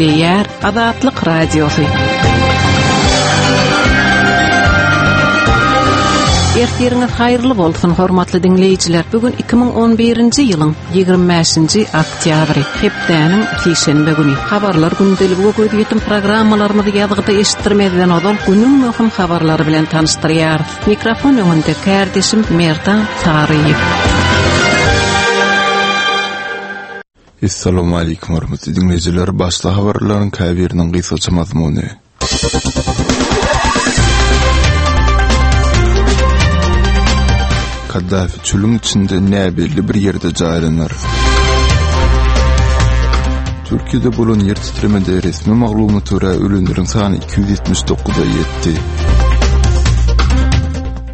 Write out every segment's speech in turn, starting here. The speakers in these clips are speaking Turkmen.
Gepleýär Azatlyk Radiosy. Ertiriňiz haýyrly bolsun, hormatly diňleýjiler. Bu gün 2011-nji ýylyň 25-nji oktýabry, hepdäniň sişenbe güni. Habarlar gündeligi we gözýetim programmalarymyzy ýazgyda eşitdirmezden ozal günüň möhüm habarlary bilen tanyşdyrýarys. Mikrofon öňünde kärdeşim Merdan Saryýew. Essalawmaleýkim hormatly diňleýjiler, başda habarlaryň käbiriniň gysgaça mazmuny. Kaddafi çölüň içinde näbelli bir ýerde jaýlanar. Türkiýede bolan ýer titremede resmi maglumata görä ölenleriň sany 279-a ýetdi.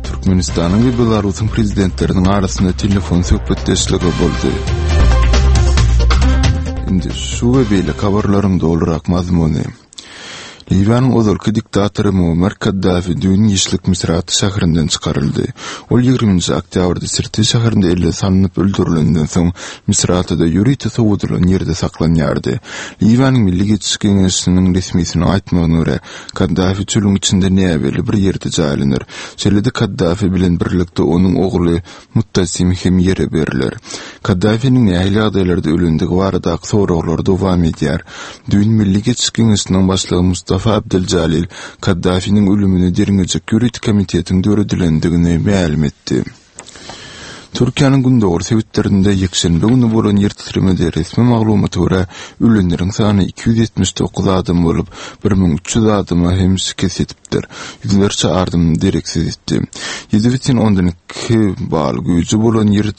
Türkmenistanyň we Belarusyň prezidentleriniň arasynda telefon söhbetdeşligi boldy. Indi şu we beýleki habarlaryň dolurak mazmuny. Liwiýanyň ozalky diktatory Muammar Kaddafi düýn giçlik Misrata şäherinden çykaryldy. Ol ýigriminji oktýabrda Sirte şäherinde elle salnyp öldürilenden soň, Misratada ýörite sowadylan ýerde saklanýardy. Liwiýanyň Milli geçiş geňeşiniň resmisiniň aýtmagyna görä, Kaddafi çölüň içinde näbelli bir ýerde jaýlanar. Şeýle-de Kaddafi bilen birlikde onuň ogly Muttasim hem ýere berler. Kaddafiniň nähili ýagdaýlarda ölendigi baradaky soraglar dowam edýär. Düýn Milli geçiş geňeşiniň başlygy Mustafa Abdel-Jalil Kaddafiniň ölümini derňejek ýörite komitetiň döredilendigini mälim etdi. Türkiýäniň gündogar sebitlerinde ýekşenbe güni bolan ýer titremede resmi maglumata görä, ölenleriň sany 279 adam bolup, 1300 adama hem şikes ýetipdir. Ýüzlerçe adam dereksiz ýitdi. 7,2 bal güýji bolan ýer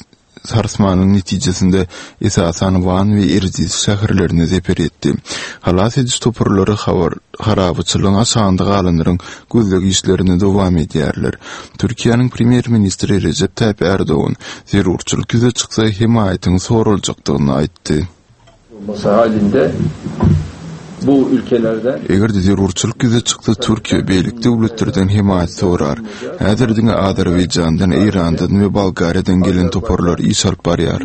sarsmanyň netijesinde esasan Wan we Erjis şäherlerine zeper ýetdi. Halas ediş toparlary habar harabaçylygyň aşagynda galanlaryň gözleg işlerini dowam edýärler. Türkiýäniň premýer-ministri Rejep Taýyp Ärdogan zerurçylyk ýüze çyksa hemaýatyň soraljakdygyny aýtdy. Eger-de zerurçylyk ýüze çyksa Türkiýe beýleki döwletlerden hemaýat sorar. Häzir diňe Azerbaýjandan, Eýrandan we Bolgariýadan gelen toparlar iş alyp barýar.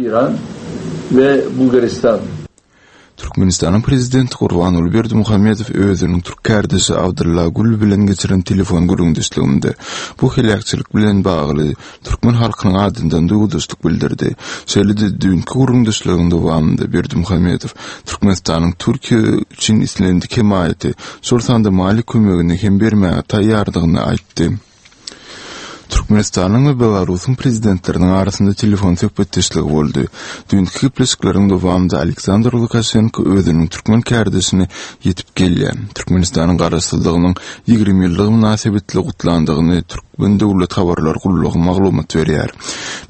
Türkmenistanyň Prezidenti Gurbanguly Berdimuhamedow özüniň türk kärdeşi Abdylla Gül bilen geçiren telefon gürrüňdeşliginde bu heläkçilik bilen bagly türkmen halkynyň adyndan duýgudaşlyk bildirdi. Şeýle-de düýnki gürrüňdeşligiň dowamynda Berdimuhamedow Türkmenistanyň Türkiýe üçin islendik hemaýaty, şol sanda maliýe kömegini hem bermäge taýýardygyny aýtdy. Türkmenistanyň we Belarusyň Prezidentleriniň arasynda telefon söhbetdeşligi boldy. Düýnki gepleşikleriň dowamynda Aleksandr Lukaşenko özüniň türkmen kärdeşini ýetip gelýän Türkmenistanyň Garaşsyzlygynyň 20 ýyllygy mynasybetli gutlandygyny Türkmen döwlet habarlar gullugy maglumat berýär.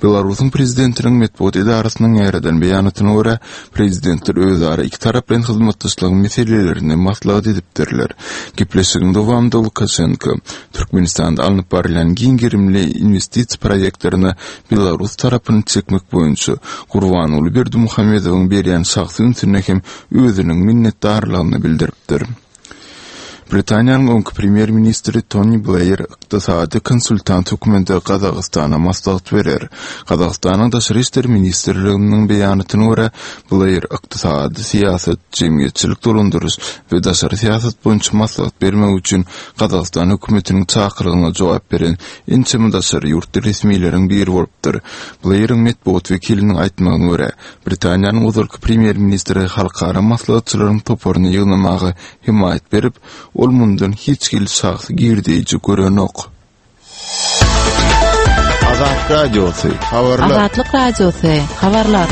Belarusyň Prezidentiniň metbugat edarasynyň ýaýradan beýanatyna görä, Prezidentler özara ikitaraplaýyn hyzmatdaşlygyň meselelerini maslahat edipdirler. Gepleşigiň dowamynda Lukaşenko Türkmenistanda alnyp barylýan giň gerimli inwestisiýa proýektlerine belarus tarapyny çekmek boýunça Gurbanguly Berdimuhamedowyň berýän şahsy ünsüne hem özüniň minnetdarlygyny bildiripdir. Britaniýanyň öňki premýer-ministri Toni Bleýr ykdysady konsultant hökmünde Gazagystana maslahat berer. Gazagystanyň Daşary işler ministrliginiň beýanatyna görä, Bleýr ykdysady syýasat, jemgyýetçilik dolandyryş we daşary syýasat boýunça maslahat bermek üçin Gazagystan hökümetiniň çakylygyna jogap beren ençeme daşary ýurtly resmileriň biri bolupdyr. Bleýriň metbugat wekiliniň aýtmagyna görä, Britaniýanyň ozalky premýer-ministri halkara maslahatçylaryň toparyny ýygnamaga hemaýat berip, ol mundan hiç hili şahsy girdeýji görenok. Azat Radiosy, habarlar. Azatlyk Radiosy, habarlar.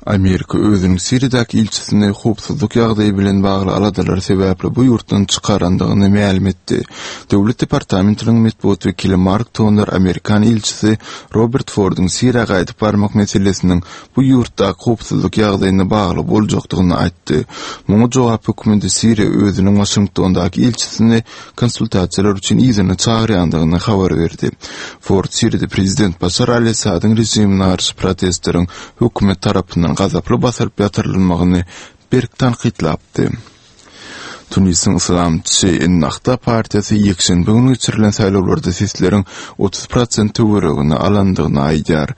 Amerika özüniň Siriýadaky ilçisini howpsuzlyk ýagdaýy bilen bagly aladalar sebäpli bu ýurtdan çykarandygyny mälim etdi. Döwlet departamentiniň metbugat wekili Mark Toner amerikan ilçisi Robert Forduň Siriýa gaýdyp barmak meselesiniň bu ýurtdaky howpsuzlyk ýagdaýyna bagly boljakdygyny aýtdy. Muňa jogap hökmünde Siriýa özüniň Waşingtondaky ilçisini konsultasiýalar üçin yzyna çagyrýandygyny habar berdi. Ford Siriýada prezident Başar al-Assadyň režimine garşy protestleriň hökümet tarapyndan gazaply basylyp ýatyrylmagyny berk tankytlapdy. Tunisiň yslamçy Ennahda partiýasy ýekşenbe güni geçirilen saýlawlarda sesleriň 30 prosent töweregini alandygyny aýdýar.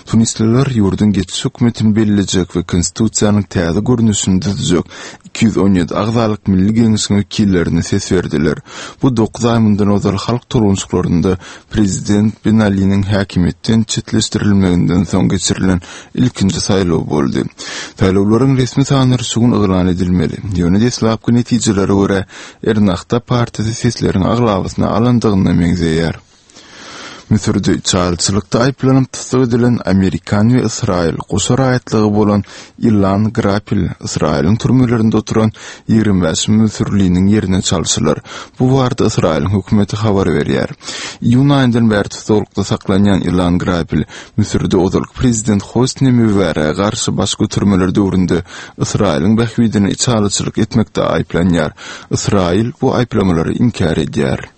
Tunisliler ýurduň geçiş hökümetini bellejek we konstitusiýanyň täze görnüşini düzjek 217 agzalyk Milli Geňeşiň wekillerine ses berdiler. Bu dokuz aý mundan ozal halk tolgunyşyklarynda prezident Ben Aliniň häkimiýetden çetleşdirilmeginden soň geçirilen ilkinji saýlaw boldy. Saýlawlaryň resmi sanlary şu gün yglan edilmeli. Ýöne deslapky netijelere görä, Ernahda partiýasy sesleriň aglabasyny alandygyna meňzeýär. Müsürde içalyçylykda aýyplanyp tussag edilen amerikan we ysraýyl goşa raýatlygy bolan Ilan Grapel Ysraýylyň türmelerinde oturan 25 müsürliniň ýerine çalşylar. Bu barada Ysraýylyň hökümeti habar berýär. Iýun aýyndan bäri tussaglykda saklanýan Ilan Grapel Müsürde ozalky prezident Hosni Mübärege garşy baş götermeler döwründe Ysraýylyň bähbidine içalyçylyk etmekde aýyplanýar. Ysraýyl bu aýyplamalary inkär edýär.